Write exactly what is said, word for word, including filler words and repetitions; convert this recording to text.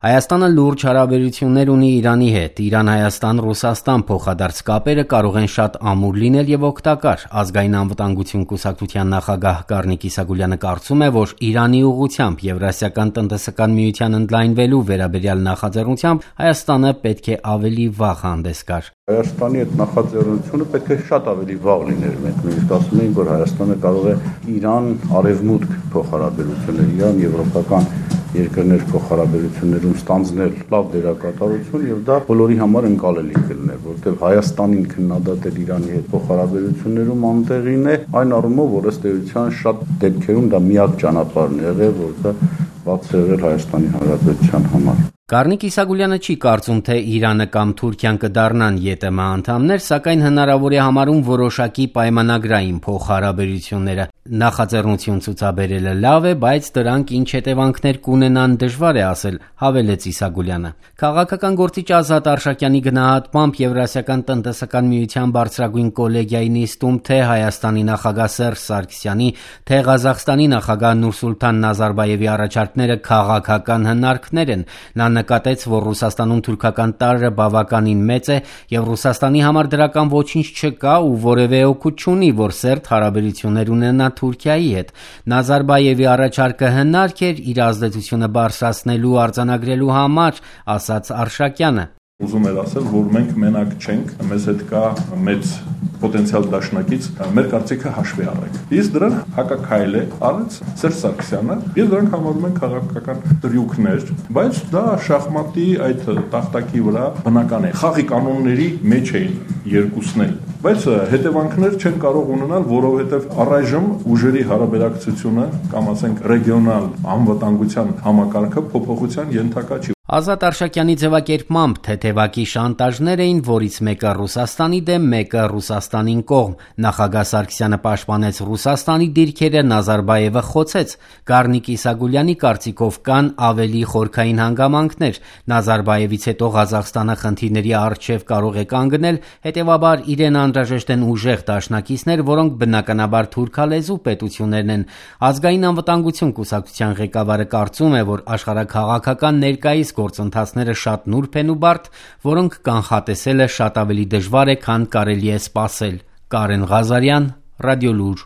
Հայաստանը լուրջ հարաբերություններ ունի Իրանի հետ։ Իրան-Հայաստան-Ռուսաստան փոխադարձ կապերը կարող են շատ ամուր լինել եւ օգտակար։ Ազգային անվտանգություն կուսակցության նախագահ Կարնիկ Իսագուլյանը կարծում է, որ Իրանի ուղղությամբ Եվրասիական տնտեսական միության ընդլայնվելու վերաբերյալ նախաձեռնությամբ Հայաստանը պետք է ավելի վաղ հանդես գար։ Հայաստանի այդ նախաձեռնությունը պետք է շատ ավելի վաղ լիներ։ Մենք նույնիսկ ասում ենք, որ Հայաստանը կարող է Իրան-արևմուտք փոխհարաբերություններ, Իրան-եվրոպական երկրներ փոխհարաբերություններում ստանձնել լավ դերակատարություն եւ դա բոլորի համար ընկալելի կլիներ, որովհետեւ Հայաստանին քննադատել Իրանի հետ փոխհարաբերություններում անտեղին է, այն առումով, որ ըստ էության շատ դեպքերում դա միակ ճանապարհն է եղել, որ դա բաց է եղել Հայաստանի Հանրապետության համար։ Կարնիկ Իսագուլյանը չի կարծում, թե Իրանը կամ Թուրքիան կդառնան ԵՏՄ անդամներ, սակայն հնարավոր է համարում որոշակի պայմանագրային փոխհարաբերությունները։ Նախաձեռնություն ցուցաբերելը լավ է, բայց դրանք ինչ հետևանքներ կունենան դժվար է ասել, հավելեց Իսագուլյանը։ Քաղաքական գործիչ Ազատ Արշակյանի գնահատմամբ Եվրասիական տնտեսական միության բարձրագույն կոլեգիայի նիստում թե Հայաստանի նախագահ Սերժ Սարգսյանի, թե Ղազախստանի նախագահ Նուրսուլտան Նազարբաևի առաջարկները քաղաքական հնարքներ են։ Նա նկատեց, որ Ռուսաստանում թուրքական տարրը բավականին մեծ է եւ Ռուսաստանի համար դրական ոչինչ չկա ու որևէ օգուտ չունի, որ սերտ հարաբերություններ ունենա Թուրքիայի հետ։ Նազարբաևի առաջարկը հնարք էր իր ազդեցությունը բարձրացնելու արձանագրելու համար, ասաց Արշակյանը։ Ուզում էր ասել, որ մենք մենակ չենք, մեզ հետ կա մեծ պոտենցիալ դաշնակից, մեր կարծիքը հաշվի առեք։ Իսկ դրան հակաքայլ է արեց Սերժ Սարգսյանը, եւ դրանք համարում են քաղաքական դրյուքներ, բայց դա շախմատի այդ տախտակի վրա բնական է։ Խաղի կանոնների մեջ էին երկուսն էլ, բայց հետևանքներ չեն կարող ունենալ, որովհետեւ առայժմ ուժերի հարաբերակցությունը կամ ասենք ռեգիոնալ անվտանգության համակարգը փոփոխության ենթակա չի։ Ազատ Արշակյանի ձևակերպմամբ թեթևակի շանտաժներ էին, որից մեկը Ռուսաստանի դեմ, մեկը Ռուսաստանին կողմ։ Նախագահ Սարգսյանը պաշտպանեց Ռուսաստանի դիրքերը, Նազարբաևը խոցեց։ Կարնիկ Իսագուլյանի կարծիքով կան ավելի խորքային հանգամանքներ։ Նազարբաևից հետո Ղազախստանը խնդիրների առջև կարող է կանգնել, հետևաբար իրեն անհրաժեշտ են ուժեղ դաշնակիցներ, որոնք բնականաբար թուրքալեզու պետություններն են։ Ազգային անվտանգություն կուսակցության ղեկավարը կարծում է, որ աշխարհաքաղաքական ներկայիս գործընթացները շատ նուրբ են ու բարդ, որոնք կանխատեսելը շատ ավելի դժվար է, քան կարելի է սպասել։ Կարեն Ղազարյան, Ռադիոլուր։